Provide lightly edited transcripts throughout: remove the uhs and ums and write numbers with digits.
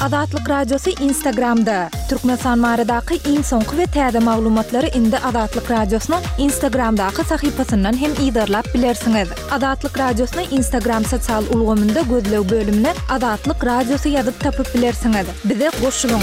Azatlyk Radiosy Instagramda! Türkmenistan baradaky iň soňky we täze maglumatlary indi Azatlyk Radiosynyň Instagramdaky sahypasyndan hem yzarlap bilersiňiz. Azatlyk Radiosyny Instagram sosial ulgamynda gözleg bölümine Azatlyk Radiosy ýazyp tapyp bilersiňiz. Bize goşulyň!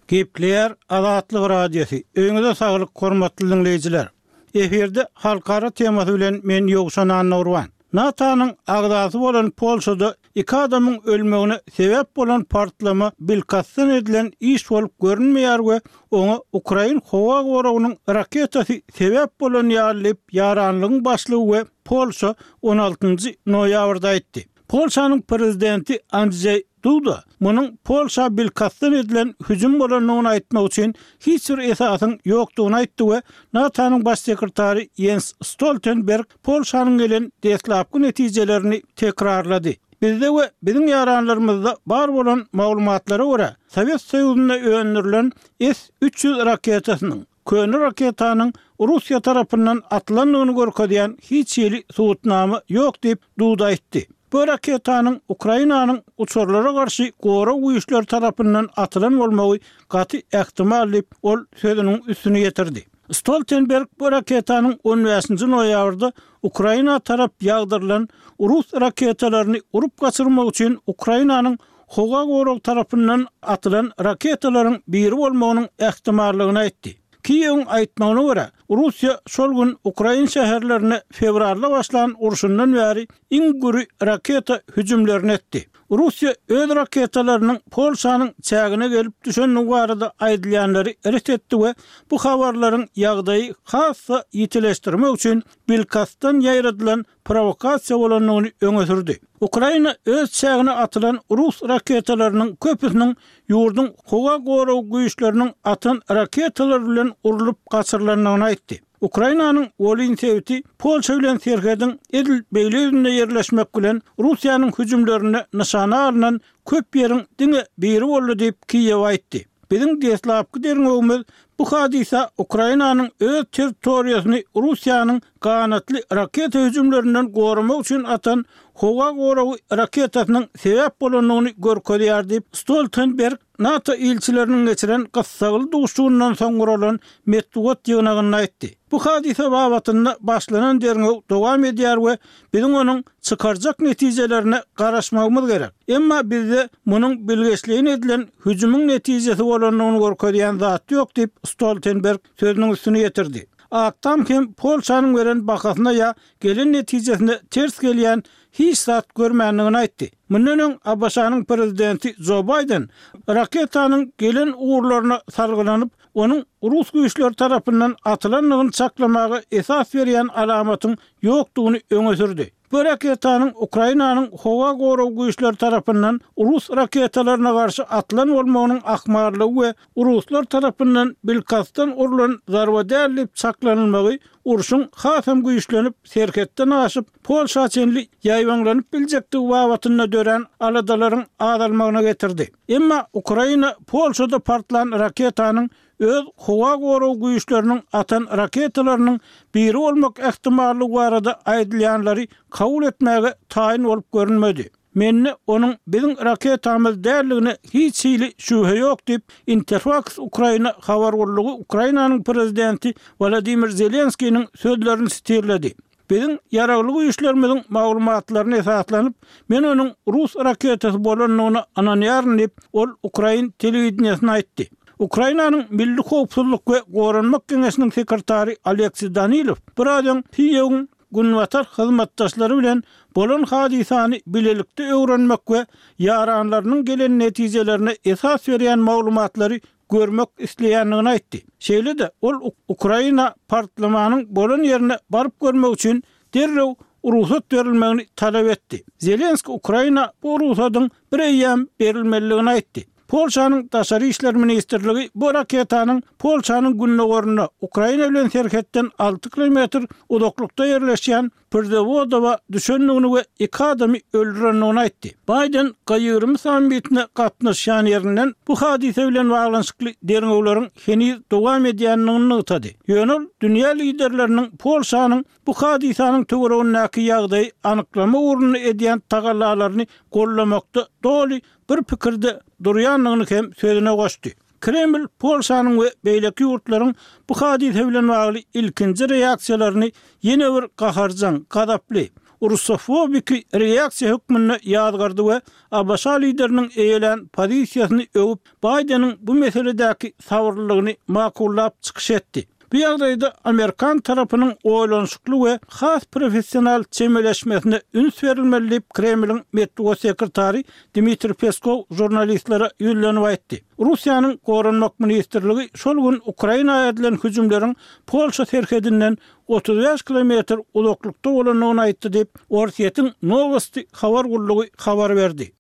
Gepleýär Azatlyk Radiosy, Öýüňize saglyk hormatly diňleýjiler! Efirde halkara temasy bilen men Ýowşan Annagurban. NATO-nyň agzasy bolan Polşada iki adamyň ölmegine sebäp bolan partlama bilkastdan edilen iş bolup görünmeýär we oňa ukrain howa goragynyň raketasy sebäp bolan ýaly diýip ýaranlygyň başlygy we Polşa on altynjy noýabrda aýtdy. Polşanyň prezidenti Andzeý Duda munuň Polşa bilkastdan edilen hüjüm bolandygyny aýtmak üçin hiç bir esasyň ýokdugyny aýtdy we NATO-nyň Baş sekretary Ýens Stoltenberg Polşanyň gelen deslapky netijelerini tekrarlady. Bizde we biziň ýaranlarymyzda bar bolan maglumatlara görä, Sowet Soýuzynda öndürilen S 300 raketasynyň, köne raketanyň Russiýa tarapyndan atylandygyny görkezýän hiç hili subutnama ýok diýip, Duda aýtdy. Bu raketanyň Ukrainanyň uçarlara garşy gorag güýçleri tarapyndan atylan bolmagy gaty ähtimal diýip, ol sözüniň üstüni ýetirdi. Stoltenberg bu raketanyň on bäşinji noýabrda Ukraina tarap ýagdyrylan rus raketalaryny urup gaçyrmak üçin Ukrainanyň howa goragy tarapyndan atylan raketalaryň biri bolmagynyň ähtimallygyny aýtdy. Kiýewiň aýtmagyna görä, Russiýa şol gün ukrain şäherlerine fewralda başlan urşundan bäri iň güri raketa hüjümlerini etdi. Russiýa öz raketalarynyň Polşanyň çägine gelip düşendigi barada aýdylýanlary ret etdi we bu habarlaryň ýagdaýy has-da ýitileşdirmek üçin bilkastdan ýaýradylan prowokasiýa bolandygyny öňe sürdi. Ukraina öz çägine atylan rus raketalarynyň köpüsiniň ýurduň howa goragy güýçleriniň atan raketalary bilen urlup gaçyrylandygyny aýtdy. Ukrainanyň Wolyn sebiti Polşa bilen serhediň edil beýle ýüzünde ýerleşmek bilen, Russiýanyň hüjümlerinde nyşana alnan köp ýeriň diňe biri boldy diýip, Kiýew aýtdy. Biziň deslapky derňewimiz bu hadysa Ukrainanyň öz territoriýasyny Russiýanyň ganatly raketa hüjümlerinden goramak üçin atan howa goragy raketasynyň sebäp bolandygyny görkezýär diýip, Stoltenberg NATO ilçileriniň geçiren gyssagly duşuşygyndan soň guralan metbugat ýygnagynda aýtdy. Bu hadysa babatynda başlanan derňew dowam edýär we biziň onuň çykarjak netijelerine garaşmagymyz gerek. Emma bizde munuň bilgeşleýin edilen hüjümiň netijesi bolandygyny görkezýän zat ýok diýip, Stoltenberg sözüniň üstüni ýetirdi. Ak Tam hem Polşanyň beren bahasyna ýa gelen netijesine ters gelýän hiç zat görmändigini aýtdy. Mundan öň ABŞ-nyň prezidenti Jo Baýden raketanyň gelen ugurlaryna salgylanyp, onuň rus güýçleri tarapyndan atylandygyny çaklamaga esas berýän alamatyň ýokdugyny öňe sürdi. Bu raketanyň Ukrainanyň howa gorag güýçleri tarapyndan rus raketalaryna garşy atylan bolmagynyň ahmallygy we ruslar tarapyndan bilkastdan urlan zarba däl diýip çaklanylmagy urşuň hasam güýçlenip, serhetden aşyp, Polşa çenli ýaýbaňlanyp biljekdigi babatynda dörän aladalaryň azalmagyna getirdi. Emma Ukraina Polşada partlan raketanyň öz howa gorag güýçleriniň atan raketalarynyň biri bolmak ähtimallygy barada aýdylýanlary kabul etmäge taýyn bolup görünmedi. Mende onuň biziň raketamyz däldigine hiç hili şübhe ýok diýip, Interfaks Ukraina habar gullugy Ukrainanyň prezidenti Wolodymyr Zelenskiniň sözlerini sitirledi. Biziň Ýaragly Güýçlerimiziň maglumatlaryna esaslanyp, men onuň rus raketasy bolandygyna ynanýaryn diýip, ol ukrain telewideniýesine aýtdy. Ukrainanyň Milli howpsuzlyk we goranmak geňeşiniň sekretary Oleksiý Danilow biraz öň Kiýewiň günbatar hyzmatdaşlary bilen bolan hadysany bilelikde öwrenmek we ýaranlarynyň gelen netijelerine esas berýän maglumatlary görmek isleýändigini aýtdy. Şeýle-de, ol Ukraina partlamanyň bolan ýerine baryp görmek üçin derrew rugsat berilmegini talap etdi. Zelenski Ukraina bu rugsadyň bir eýýäm berilmelidigini aýtdy. Polşanyň Daşary işler ministrligi bu raketanyň Polşanyň gündogarynda, Ukraina bilen serhetden alty kilometr uzaklykda ýerleşýän. Przewodowa düşendigini we iki adamy öldürendigini aýtdy. Baýden G 20 sammitine gatnaşýan ýerinden bu hadysa bilen baglanyşykly derňewleriň heniz dowam edýändigini nygtady. Ýöne ol dünýä liderleriniň Polşanyň bu hadysanyň töweregindäki ýagdaýy anyklamak ugrunda edýän tagallalaryny goldamakda doly bir pikirde durýandygyny hem sözüne goşdy. Kreml Polşanyň we beýleki ýurtlaryň bu hadysa bilen bagly ilkinji reaksiýalaryny ýene bir gaharjaň, gazaply, rusofobiki reaksiýa hökmünde ýazgardy we ABŞ lideriniň eýelän pozisiýasyny öwüp, Baýdeniň bu meseledäki sabyrlylygyny makullap çykyş etdi. Bu ýagdaýda amerikan tarapynyň oýlanyşykly we has professional çemeleşmesine üns berilmeli diýip, Kremliň metbugat sekretary Dmitriý Peskow žurnalistlere ýüzlenip aýtdy. Russiýanyň Goranmak ministrligi şol gün Ukraina edilen hüjümleriň Polşa serhedinden 35 kilometr uzaklykda bolandygyny aýtdy diýip, Orsýetiň Nowosti habar gullugy habar berdi.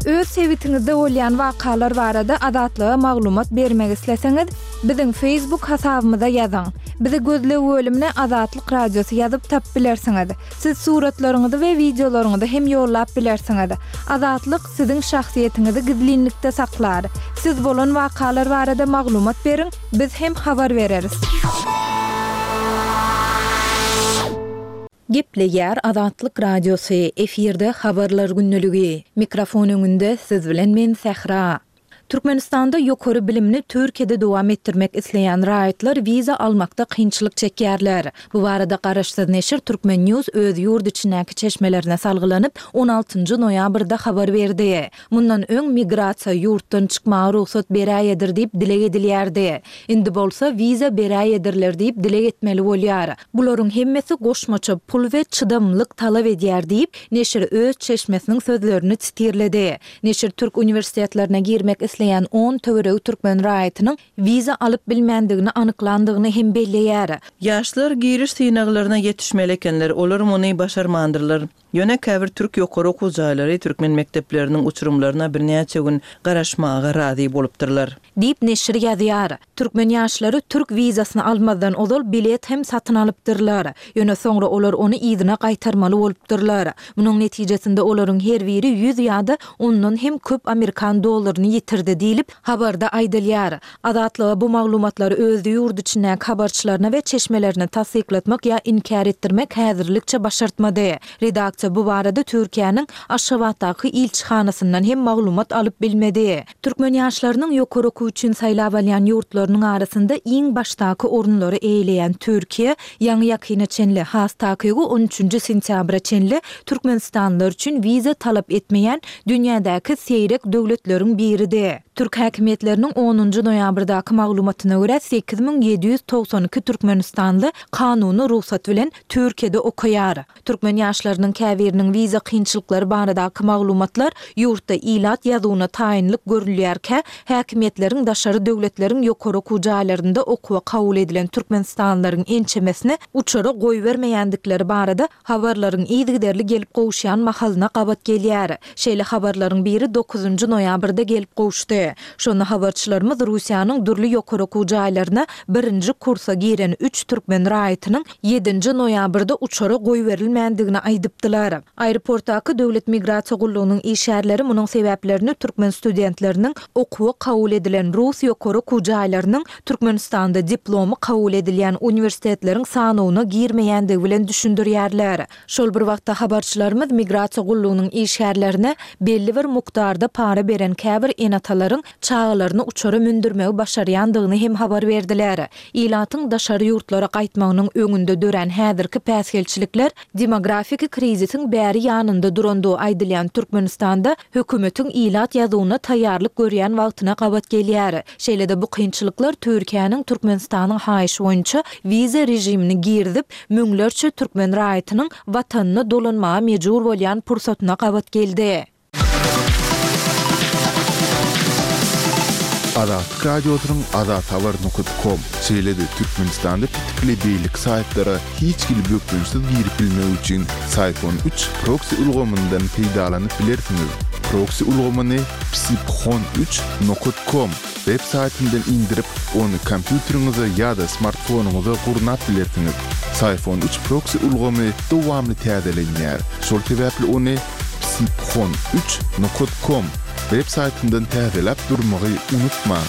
Öz sebitiňizde bolýan wakalar barada Azatlyga maglumat bermek isleseňiz, biziň Facebook hasabymyza ýazyň. Bizi gözleg bölümine Azatlyk Radiosy ýazyp tapyp bilersiňiz. Siz suratlaryňyzy we wideolaryňyzy hem ýollap bilersiňiz. Azatlyk siziň şahsyýetiňizi gizlinlikde saklar. Siz bolan wakalar barada maglumat beriň, biz hem habar bereris. Gepleýär Azatlyk Radiosy, efirde Habarlar gündeligi. Mikrofon öňünde siz bilen men Sähra. Türkmenistanda ýokary bilimini Türkiýede dowam etdirmek isleýän raýatlar wiza almakda kynçylyk çekýärler. Bu barada garaşsyz neşir Turkmen. News öz ýurt içindäki çeşmelerine salgylanyp, on altynjy noýabrda habar berdi. Mundan öň migrasiýa ýurtdan çykmaga rugsat beräýedir diýip dileg edilýärdi. Indi bolsa wiza beräýedirler diýip dileg etmeli bolýar. Bularyň hemmesi goşmaça pul we çydamlylyk talap edýär diýip, neşir öz çeşmesiniň sözlerini sitirledi. Neşir türk uniwersitetlerine girmek isleýän on töweregi türkmen raýatynyň wiza alyp bilmändigini anyklandygyny hem belleýär. Ýaşlar giriş synaglaryna ýetişmeli ekenler, olar muny başarmandyrlar. Ýöne käbir türk ýokary okuw jaýlary türkmen mekdepleriniň uçurymlaryna birnäçe gün garaşmaga razy bolupdyrlar. Diýip, neşir ýazýar. Türkmen ýaşlary türk wizasyny almazdan ozal bilet hem satyn alypdyrlar. Ýöne soňra olar ony yzyna gaýtarmaly bolupdyrlar. Munuň netijesinde olaryň her biri 100 ýa-da ondan hem köp amerikan dollaryny ýitirdi diýlip, habarda aýdylýar. Azatlyga bu maglumatlary öz ýurt içindäki habarçylaryna we çeşmelerine tassyklatmak ýa inkär etdirmek häzirlikçe başartmady. Redaksiýa bu barada Türkiýäniň Aşgabatdaky ilçihanasyndan hem maglumat alyp bilmedi. Türkmen ýaşlarynyň ýokary okuw üçin saýlap alýan ýurtlarynyň arasynda iň başdaky orunlary eýeleýän Türkiýe, ýaňy-ýakyna çenli, has takygy on üçünji sentýabra çenli türkmenistanlylar üçin wiza talap etmeýän dünýädäki seýrek döwletleriň biridi. Türk häkimiýetleriniň onunjy noýabrdaky maglumatyna görä, 8792 türkmenistanly kanuny rugsat bilen Türkiýede okaýar. Türkmen ýaşlarynyň käbiriniň wiza kynçylyklary baradaky maglumatlar ýurtda ilat ýazuwyna taýynlyk görülýärkä, häkimiýetleriň daşary döwletleriň ýokary okuw jaýlarynda okuwa kabul edilen türkmenistanlylaryň ençemesini uçara goýbermeýändikleri barada habarlaryň yzygiderli gelip gowuşýan mahalyna gabat gelýär. Şeýle habarlaryň biri dokuzynjy noýabrda gelip gowuşdy. Şonda habarçylarymyz Russiýanyň dürli ýokary okuw jaýlaryna birinji kursa giren üç türkmen raýatynyň ýedinji noýabrda uçara goýberilmändigini aýdypdylar. Aeroportdaky Döwlet migrasiýa gullugynyň işgärleri munuň sebäplerini türkmen studentleriniň okuwa kabul edilen rus ýokary okuw jaýlarynyň Türkmenistanda diplomy kabul edilýän uniwersitetleriň sanawyna girmeýändigi bilen düşündirýärler. Şol bir wagtda habarçylarymyz migrasiýa gullugynyň işgärlerine belli bir mukdarda para beren käbir ene-atalaryň çagalaryny uçara mündürmegi başarýandygyny hem habar berdiler. Ilatyň daşary ýurtlara gaýtmagynyň öňünde dörän häzirki päsgelçilikler demografiki krizisiň bäri ýanynda durandygy aýdylýan Türkmenistanda hökümetiň ilat ýazuwyna taýýarlyk görýän wagtyna gabat gelýär. Şeýle-de bu kynçylyklar Türkiýäniň Türkmenistanyň haýyşy boýunça wiza režimini girizip, müňlerçe türkmen raýatynyň Watanyna dolanmaga mejbur bolýan pursatyna gabat geldi. Azatlyk Radiosynyň azathabar nokat kom, şeýle-de Türkmenistanda petikli beýleki saýtlara hiç hili bökdençsiz girip bilmek üçin Syfon üç proksi ulgamyndan peýdalanyp bilersiňiz. Proksi ulgamyny Psiphon üç nokat kom web saýtyndan indirip, ony kompýuteriňize ýa-da smartfonyňyza gurnap bilersiňiz. Psiphon üç proksi ulgamy dowamly täzelenýär, şol sebäpli ony Psiphon üç nokat kom web saýtyndan täzeläp durmagy unutmaň.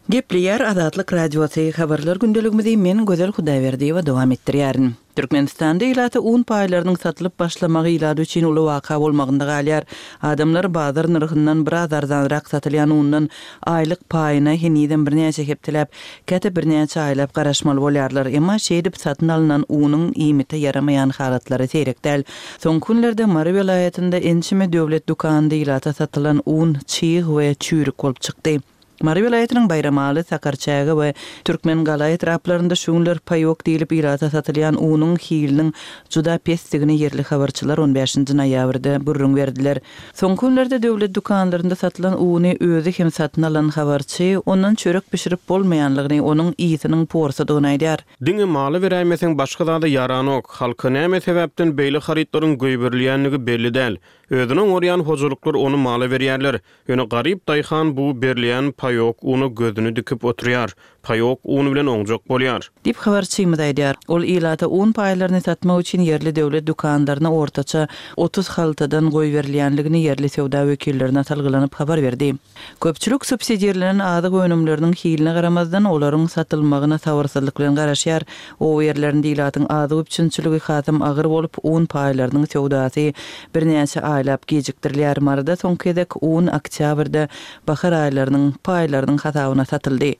Gepleýär Azatlyk Radiosy, Habarlar gündeligimizi men Gözel Hudaýberdiýewa dowam etdirýärin. Türkmenistanda ilata un paýlarynyň satylyp başlamagy ilat üçin uly waka bolmagynda galýar. Adamlar bazar nyrhyndan biraz arzanrak satylýan undan aýlyk paýyna henizem birnäçe hepdeläp, käte birnäçe aýlap garaşmaly bolýarlar. Emma şeýdip satyn alnan unuň iýmite ýaramaýan halatlary seýrek däl. Soňky günlerde Mary welaýatynda ençeme döwlet dükanynda ilata satylan un çyg we çüýrük bolup çykdy. Mary welaýatynyň Baýramaly, Sakarçäge we Türkmengala etraplarynda şu günler paýok diýlip ilata satylýan unuň hiliniň juda pesdigini ýerli habarçylar on bäşinji noýabrda gürrüň berdiler. Soňky günlerde döwlet dükanlarynda satylan uny özi hem satyn alan habarçy ondan çörek bişirip bolmaýanlygyny, onuň ysynyň porsudygyny aýdýar. Diňe mala beräýmeseň başga zada ýaranok. Halka näme sebäpden beýle harytlaryň goýberilýändigi belli däl. Özüni oňarýan hojalyklar ony mala berýärler. Ýöne garyp daýhan bu berilýän paýok una gözüni dikip oturýar. Paýok un bilen oňjak bolýar. Diýip, habarçymyz aýdýar. Ol ilata un paýlaryny satmak üçin ýerli döwlet dükanlaryna ortaça 30 haltadan goýberilýänligini ýerli söwda wekillerine salgylanyp habar berdi. Köpçülik subsidirlenen azyk önümleriniň hiline garamazdan, olaryň satylmagyna sabyrsyzlyk bilen garaşýar. Oba ýerlerinde ilatyň azyk üpjünçiligi hasam agyr bolup, un paýlarynyň söwdasy birnäçe aýlap gijikdirilýär. Maryda soňky gezek un oktýabrda, bahar aýlarynyň paýlarynyň hasabyna satyldy.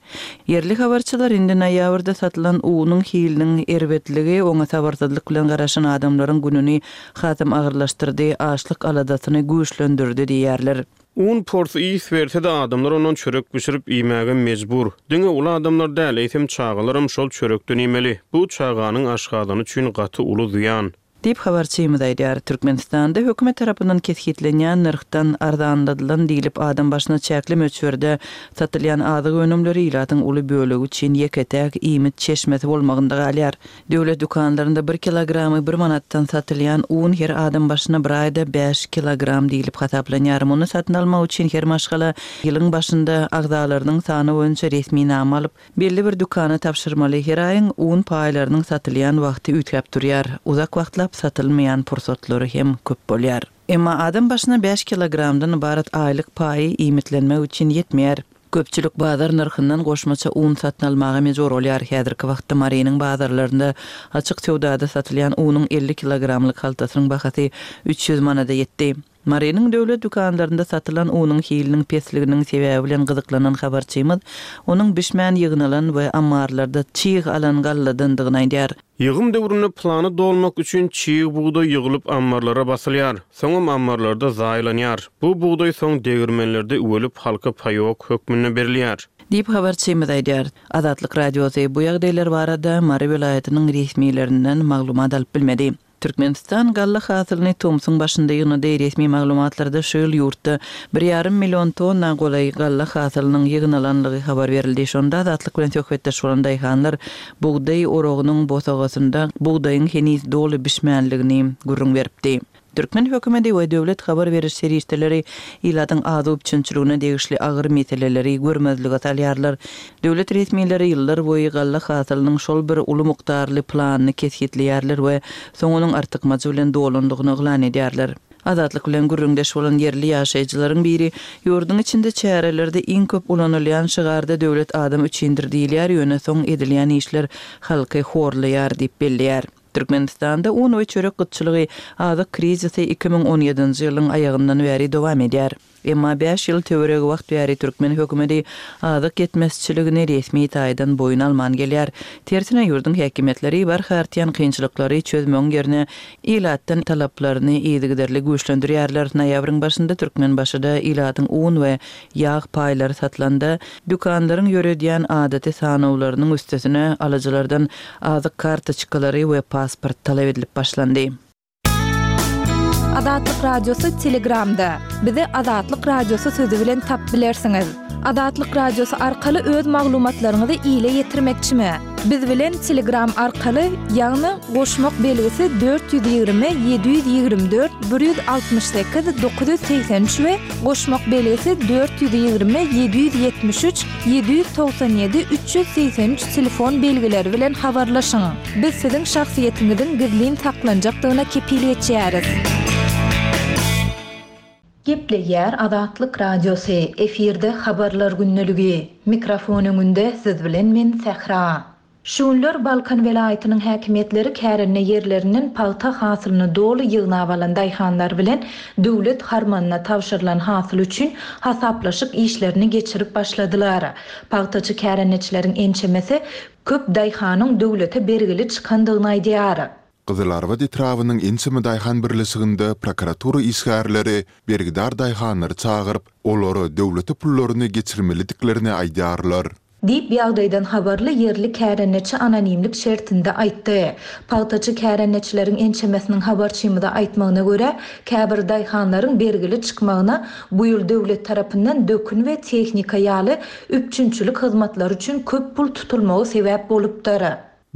Ýerli habarçylar indi noýabrda satylan unuň hiliniň erbetligi oňa sabyrsyzlyk bilen garaşan adamlaryň gününi hasam agyrlaşdyrdy, açlyk aladasyny güýçlendirdi diýýärler. Un porsy ys berse-de adamlar ondan çörek bişirip iýmäge mejbur. Diňe uly adamlar däl, eýsem çagalaram şol çörekden iýmeli. Bu çaganyň aşgazany üçin gaty uly zyýan. Diýip, habarçymyz aýdýar. Türkmenistanda hökümet tarapyndan kesgitlenýän nyrhdan arzanladylan diýlip adam başyna çäkli möçberde satylýan azyk önümleri ilatyň uly bölegi üçin ýeke-täk iýmit çeşmesi bolmagynda galýar. Döwlet dükanlarynda bir kilogramy bir manatdan satylýan un her adam başyna bir aýda bäş kilogram diýlip hasaplanýar. Muny satyn almak üçin her maşgala ýylyň başynda agzalarynyň sany boýunça resminama alyp, belli bir dükana tabşyrmaly. Her aýyň un paýlarynyň satylýan wagty üýtgäp durýar. Uzak wagtlap satylmaýan pursatlary hem köp bolýar. Emma adam başyna bäş kilogramdan ybarat aýlyk paýy iýmitlenmek üçin ýetmeýär. Köpçülik bazar nyrhyndan goşmaça un satyn almaga mejbur bolýar. Häzirki wagtda Marynyň bazarlarynda açyk söwdada satylýan unuň 50 kilogramlyk haltasynyň bahasy 300 manada ýetdi. Marynyň döwlet dükanlarynda satylan unuň hiliniň pesliginiň sebäbi bilen gyzyklanan habarçymyz onuň bişmän ýygnalan we ammarlarda çyg alan galladandygyny aýdýar. Ýygym döwründe plany dolmak üçin çig bugdaý ýygylyp ammarlara basylýar. Soňam ammarlarda zaýalanýar. Bu bugdaý soň degirmenlerde üwelip halka paýok hökmünde berilýär. Diýip, habarçymyz aýdýar. Azatlyk Radiosy bu ýagdaýlar barada Mary welaýatynyň resmilerinden maglumat alyp bilmedi. Türkmenistan galla hasylyny tomsuň başynda ýygnady. Resmi maglumatlarda şu ýyl ýurtda bir ýarym million tonna golaý galla hasylynyň ýygnalanlygy habar berildi. Şonda Azatlyk bilen söhbetdeş bolan daýhanlar bugdaý oragynyň bosagasynda bugdaýyň heniz doly bişmänligini gürrüň beripdi. Türkmen hökümeti we döwlet habar beriş serişdeleri ilatyň azyk üpjünçiligine degişli agyr meseleleri görmezlige salýarlar. Döwlet resmileri ýyllar boýy galla hasylynyň şol bir uly mukdarly planyny kesgitleýärler we soň onuň artykmajy bilen dolandygyny yglan edýärler. Azatlyk bilen gürrüňdeş bolan ýerli ýaşaýjylaryň biri ýurduň içinde çärelerde iň köp ulanylýan şygarda döwlet adam üçindir diýilýär, ýöne soň edilýän işler halky horlaýar diýip belleýär. Türkmenistanda un we çörek gytçylygy, azyk krizisi 2017-nji ýylyň aýagyndan bäri dowam edýär. Emma bäş ýyl töweregi wagt bäri türkmen hökümeti azyk ýetmezçiligini resmi taýdan boýun alman gelýär. Tersine, ýurduň häkimiýetleri barha artýan kynçylyklary çözmegiň ýerine, ilatdan talaplaryny yzygiderli güýçlendirýärler. Noýabryň başynda Türkmenbaşyda ilatyň un we ýag paýlary satylanda, dükanlaryň ýöredýän adaty sanawlarynyň üstesine alyjylardan azyk kartoçkalary we pasport talap edilip başlandy. Azatlyk Radiosy Telegramda. Bizi Azatlyk Radiosy sözi bilen tapyp bilersiňiz. Azatlyk Radiosy arkaly öz maglumatlaryňyzy ile ýetirmekçimi? Biz bilen Telegram arkaly, ýagny goşmak belgisi 420 724 168 983 we goşmak belgisi 420 773 797 383 telefon belgileri bilen habarlaşyň. Biz siziň şahsyýetiňiziň gizlin saklanjakdygyna kepil geçýäris. Gepleýär Azatlyk Radiosy, efirde Habarlar gündeligi. Mikrofon öňünde siz bilen men Sähra. Şu günler Balkan welaýatynyň häkimiýetleri kärende ýerlerinden pagta hasylyny doly ýygnap alan daýhanlar bilen döwlet harmanyna tabşyrylan hasyl üçin hasaplaşyk işlerini geçirip başladylar. Pagtaçy kärendeçileriň ençemesi köp daýhanyň döwlete bergili çykandygyny aýdýar. Gyzylarbat etrabynyň ençeme daýhan birleşiginde prokuratura işgärleri bergidar daýhanlary çagyryp, olara döwlete pullaryny geçirmelidiklerini aýdýarlar. Diýip, ýagdaýdan habarly ýerli kärendeçi anonimlik şertinde aýtdy. Pagtaçy kärendeçileriň ençemesiniň habarçymyza aýtmagyna görä, käbir daýhanlaryň bergili çykmagyna bu ýyl döwlet tarapyndan dökün we tehnika ýaly üpjünçilik hyzmatlary üçin köp pul tutulmagy sebäp bolupdyr.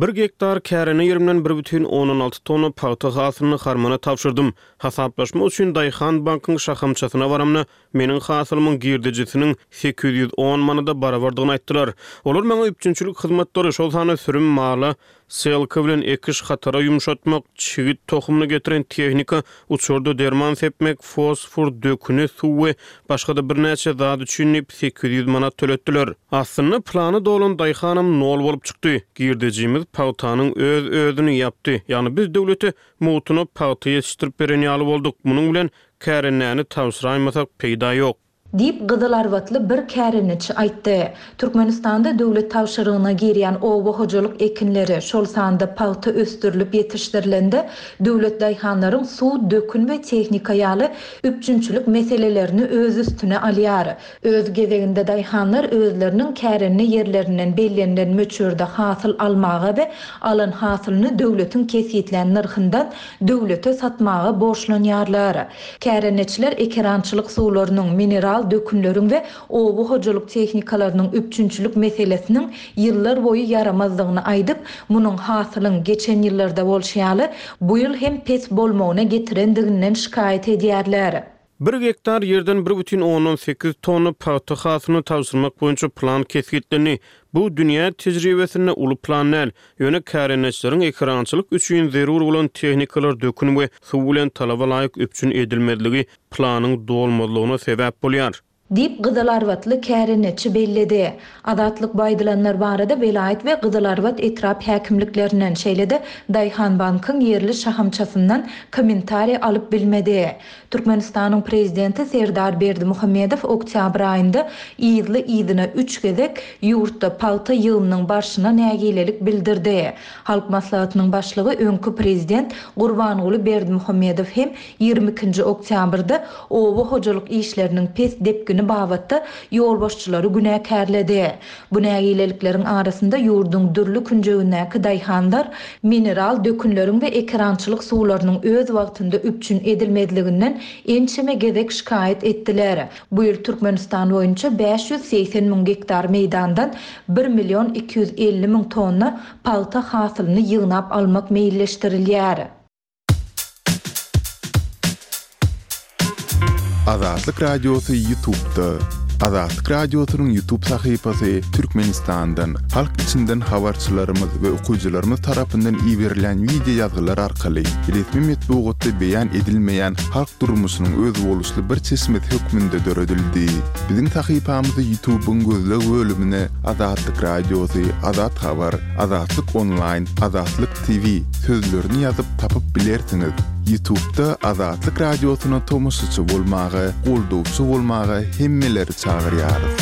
Bir gektar kärende ýerimden 1,6 tonna pagta hasylyny harmana tabşyrdym. Hasaplaşmak üçin Daýhan bankyň şahamçasyna baramda, meniň hasylymyň girdejisiniň 810 manada barabardygyny aýtdylar. Olar maňa üpjünçilik hyzmatlary, şol sanda sürüm mala selka bilen ekiş hatara ýumşatmak, çigit tohumyny getiren tehnika, uçarda derman sepmek, fosfor, döküni, suw we başga-da birnäçe zat üçin diýip, 800 manat töletdiler. Aslynda plany dolan daýhanam nol bolup çykdy. Girdejimiz pagtanyň öz-özüni ýapdy. Ýagny biz döwlete mugtuna pagta ýetişdirip beren ýaly bolduk. Munuň bilen kärendäni tabşyraýmasak peýda ýok. Diýip, gyzylarbatly bir kärendeçi aýtdy. Türkmenistanda döwlet tabşyrygyna girýän oba hojalyk ekinleri, şol sanda pagta ösdürilip ýetişdirilende, döwlet daýhanlaryň suw, dökün we tehnika ýaly üpjünçilik meselelerini öz üstüne alýar. Öz gezeginde daýhanlar özleriniň kärende ýerlerinden bellenilen möçberde hasyl almaga we alan hasylyny döwletiň kesgitlän nyrhyndan döwlete satmaga borçlanýarlar. Kärendeçiler ekerançylyk suwlarynyň, mineral dökünleriň we oba hojalyk tehnikalarynyň üpjünçilik meselesiniň ýyllar boýy ýaramazdygyny aýdyp, munuň hasylyň, geçen ýyllarda bolşy ýaly, bu ýyl hem pes bolmagyna getirendiginden şikaýat edýärler. Bir gektar ýerden 1,8 tonna pagta hasylyny tabşyrmak boýunça plan kesgitlendi. Bu dünýä tejribesinde uly plan däl, ýöne kärendeçileriň ekerançylyk üçin zerur bolan tehnikalar dökün we suw bilen talaba laýyk üpjün edilmezligi planyň dolmazlygyna sebäp bolýar. Diýip, gyzylarbatly kärendeçi belledi. Azatlyk bu aýdylanlar barada welaýat we Gyzylarbat etrap häkimliklerinden, şeýle-de Daýhanbankyň ýerli şahamçasyndan kommentariý alyp bilmedi. Türkmenistanyň Prezidenti Serdar Berdimuhamedow oktýabr aýynda yzly-yzyna üç gezek ýurtda pagta ýygymynyň barşyna nägilelik bildirdi. Halk Maslahatynyň Başlygy öňki Prezident Gurbanguly Berdimuhamedow hem 22-nji oktýabrda oba hojalyk işleriniň pes depgini babatda ýolbaşçylary günäkärledi. Bu nägilelikleriň arasynda ýurduň dürli künjegindäki daýhanlar mineral dökünleriň we ekerançylyk suwlarynyň öz wagtynda üpjün edilmezliginden ençeme gezek şikaýat etdiler. Bu ýyl Türkmenistan boýunça 580 müň gektar meýdandan bir million 250 müň tonna pagta hasylyny ýygnap almak meýilleşdirilýär. Azatlyk Radiosy Ýutubda. Azatlyk Radiosynyň Ýutub sahypasy Türkmenistandan, halk içinden habarçylarymyz we okyjylarymyz tarapyndan iberilen wideo ýazgylar arkaly resmi metbugatda beýan edilmeýän halk durmuşynyň özboluşly bir çeşmesi hökmünde döredildi. Biziň sahypamyzy Ýutubyň gözleg bölümine Azatlyk Radiosy, Azat Habar, Azatlyk Onlaýn, Azatlyk TV sözlerini ýazyp tapyp bilersiňiz. Ýutubda Azatlyk Radiosyna tomaşaçy bolmaga, goldawçy bolmaga hemmeleri çagyrýarys.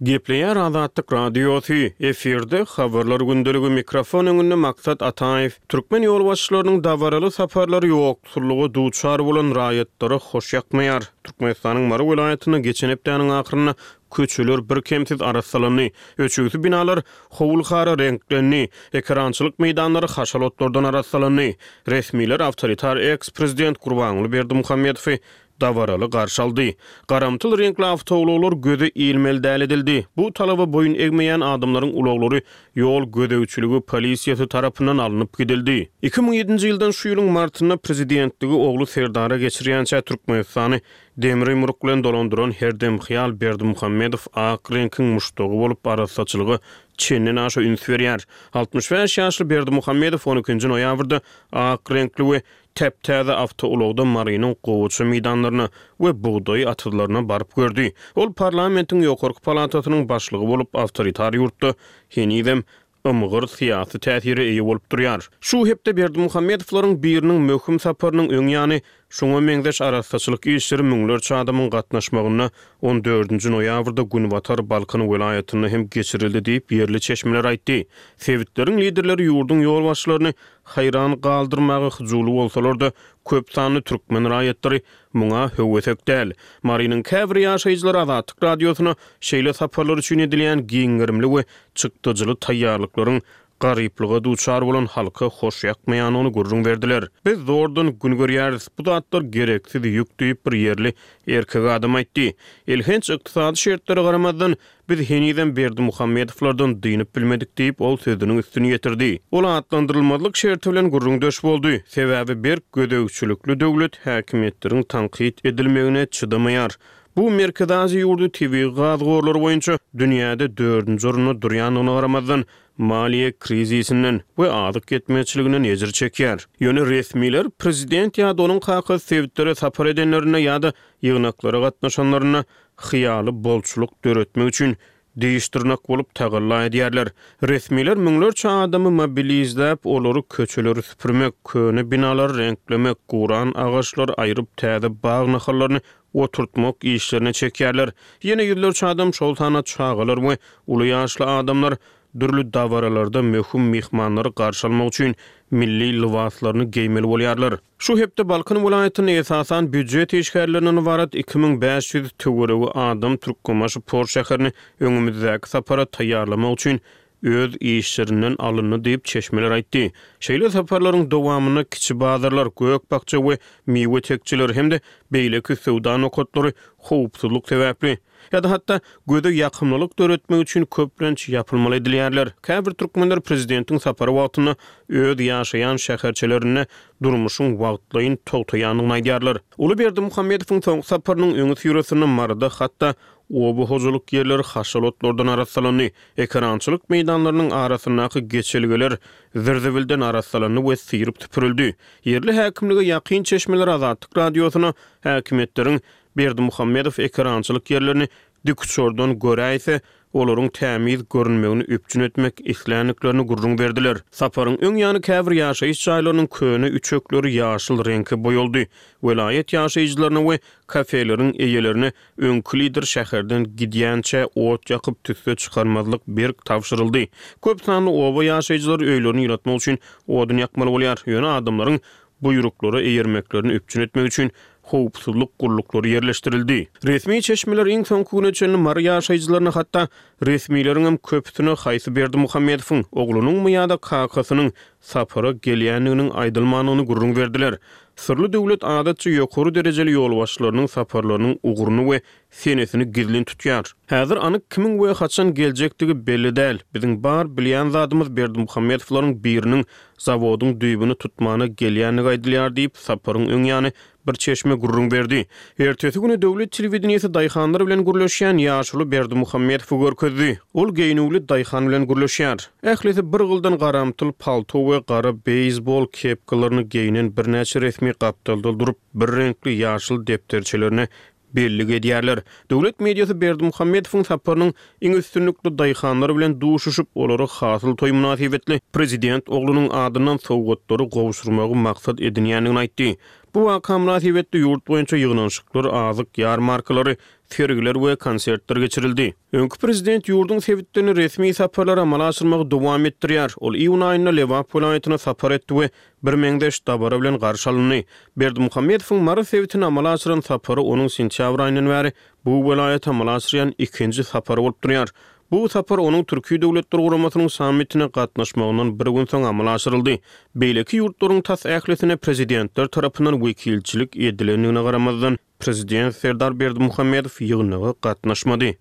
Gepleýär Azatlyk Radiosy, efirde Habarlar gündeligi, mikrofon öňünde Maksat Ataýew. Türkmen ýolbaşçylarynyň dabaraly saparlary ýoksullyga duçar bolan raýatlara hoş ýakmaýar. Türkmenistanyň Mary welaýatynda geçen hepdäniň ahyrynda Köçeler birkemsiz arassalandy. Öçügsi binalar howul-hara reňklendi. Ekerançylyk meýdanlary haşal otlardan arassalandy. Resmiler awtoritar eks-prezident Gurbanguly Berdimuhamedowy dabaraly garşy aldy. Garamtyl reňkli awtoulaglar göze ilmeli däl edildi. Bu talaba boýun egmeýän adamlaryň ulaglary ýol gözegçiligi polisiýasy tarapyndan alnyp gidildi. 2007-nji ýyldan şu ýylyň martynda prezidentligi ogly Serdara geçirýänçä Türkmenistany demir ýumruk bilen dolandyran herdemhyýal Berdimuhamedow ak reňkiň muşdagy bolup arassaçylyga çenden aşa üns berýär. 65 ýaşly Berdimuhamedow on ikinji noýabrda ak reňkli we täp-täze awtoulagda Marynyň gowaça meýdanlaryna we bugdaý atyzlaryna baryp gördi. Ol parlamentiň ýokarky palatasynyň başlygy bolup, awtoritar ýurtda henizem ymgyr syýasy täsire eýe bolup durýar. Şu hepde Berdimuhamedowlaryň biriniň möhüm saparynyň öň ýany şuňa meňzeş arassaçylyk işleri müňlerçe adamyň gatnaşmagynda on dördünji noýabrda günbatar Balkan welaýatynda hem geçirildi diýip, ýerli çeşmeler aýtdy. Sebitleriň liderleri ýurduň ýolbaşçylaryny haýran galdyrmaga hyjuwly bolsalar-da, köp sanly türkmen raýatlary muňa höwesek däl. Marynyň käbir ýaşaýjylary Azatlyk Radiosyna şeýle saparlar üçin edilýän giň gerimli we çykdajyly taýýarlyklaryň garyplyga duçar bolan halka hoş ýakmaýandygyny gürrüň berdiler. Biz zordan gün görýäris, bu zatlar gereksiz ýük diýip, bir ýerli erkek adam aýtdy. Elhenç ykdysady şertlere garamazdan, Biz henizem Berdimuhamedowlardan dynyp bilmedik diýip, ol sözüniň üstüni ýetirdi. Ol atlandyrylmazlyk şerti bilen gürrüňdeş boldy. Sebäbi berk gözegçilikli döwlet häkimiýetleriň tankyt edilmegine çydamaýar. Bu Merkezi Aziýa ýurdy tebigy gaz gorlary boýunça dünýäde dördünji orunda durýandygyna garamazdan, maliýe krizisinden we azyk ýetmezçiliginden ejir çekýär. Ýöne resmiler prezident ýa-da onuň kakasy sebitlere sapar edenlerinde ýa-da ýygnaklara gatnaşanlarynda hyýaly bolçulyk döretmek üçin diş-dyrnak bolup tagalla edýärler. Resmiler müňlerçe adamy mobilizläp, olary köçeleri süpürmek, köne binalary reňklemek, guran agaçlary aýryp täze bag nahallaryny oturtmak işlerine çekýärler. Ýene ýüzlerçe adam, şol sanda çagalar we uly ýaşly adamlar dürli dabaralarda möhüm myhmanlary garşy almak üçin milli lybaslaryny geýmeli bolýarlar. Şu hepde Balkan welaýatynda esasan býujet işgärlerinden ybarat 2500 töweregi adam Türkmenbaşy port şäherini öňümizdäki sapara taýýarlamak üçin öz işlerinden alyndy diýip, çeşmeler aýtdy. Şeýle saparlaryň dowamynda kiçi bazarlar, gök-bakja we miwe tekjeleri hem-de beýleki söwda nokatlary howpsuzlyk sebäpli, Ýa-da hatda göze ýakymlylyk döretmek üçin köplenç ýapylmaly edilýärler. Käbir türkmenler prezidentiň sapary wagtynda öz ýaşaýan şäherçelerinde durmuşyň wagtlaýyn togtaýandygyny aýdýarlar. Uly Berdimuhamedowyň soňky saparynyň öňüsyrasynda Maryda hatda oba hojalyk ýerleri haşal otlardan arassalandy, ekerançylyk meýdanlarynyň arasyndaky geçelgeler zir-zibilden arassalandy we syryp süpürildi. Ýerli häkimlige ýakyn çeşmeler Azatlyk Radiosyna häkimiýetleriň Berdimuhamedow ekerançylyk ýerlerini dikuçardan göräýse, olaryň tämiz görünmegini üpjün etmek isländiklerini gürrüň berdiler. Saparyň öň ýany käbir ýaşaýyş jaýlarynyň köne üçekleri ýaşyl reňke boýaldy. Welaýat ýaşaýjylaryna we kafeleriň eýelerine öňki lider şäherden gidýänçä ot ýakyp tüsse çykarmazlyk berk tabşyryldy. Köp sanly oba ýaşaýjylary öýlerini ýylatmak üçin odun ýakmaly bolýar. Ýöne adamlaryň buýruklara eýermeklerini üpjün etmek üçin howpsuzlyk gulluklary ýerleşdirildi. Resmi çeşmeler iň soňky güne çenli Mary ýaşaýjylaryna hatda resmileriňem köpüsine haýsy Berdimuhamedowyň, oglunyňmy ýa-da kakasynyň sapara gelýändiginiň aýdylmandygyny gürrüň berdiler. Syrly döwlet adatça ýokary derejeli ýolbaşçylarynyň saparlarynyň ugruny we senesini gizlin tutýar. Häzir anyk kimiň we haçan geljekdigi belli däl. Biziň bar bilýän zadymyz Berdimuhamedowlaryň biriniň zawodyň düýbüni tutmana gelýändigi aýdylýar diýip, saparyň öň ýany bir çeşme gürrüň berdi. Ertesi güni döwlet telewideniýesi daýhanlar bilen gürleşýän ýaşuly Berdimuhamedowy görkezdi. Ol geýnüwli daýhan bilen gürleşýär. Ählisi bir gyldan garamtyl palto we gara beýsbol kepkalaryny geýnen birnäçe resmi gapdalda durup, bir reňkli ýaşyl depderçelerine bellik edýärler. Döwlet mediasy Berdimuhamedowyň saparynyň iň üstünlikli daýhanlar bilen duşuşyp, olara hasyl toýy mynasybetli prezident oglunyň adyndan sowgatlary gowşurmagy maksat edinýändigini aýtdy. Bu waka mynasybetli ýurt boýunça ýygnanyşyklar, azyk ýarmarkalary, sergiler we konsertler geçirildi. Öňki prezident ýurduň sebitlerine resmi saparlary amala aşyrmagy dowam etdirýär. Ol iýun aýynda Lebap welaýatyna sapar etdi we birmeňzeş dabara bilen garşy alyndy. Berdimuhamedowyň Mary sebitine amala aşyran sapary onuň sentýabr aýyndan bäri bu welaýata amala aşyrýan ikinji sapary bolup durýar. Bu sapar onuň Türki Döwletler Guramasynyň sammitine gatnaşmagyndan bir gün soň amala aşyryldy. Beýleki ýurtlaryň tas ählisine prezidentler tarapyndan wekilçilik edilendigine garamazdan, prezident Serdar Berdimuhamedow ýygnaga gatnaşmady.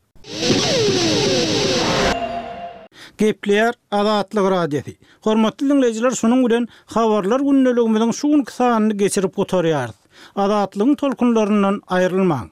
Gepleýär Azatlyk Radiosy. Hormatly diňleýjiler şunuň bilen Habarlar gündeligimiziň şu günki sanyny geçirip gutarýarys. Azatlygyň tolkunlaryndan aýrylmaň.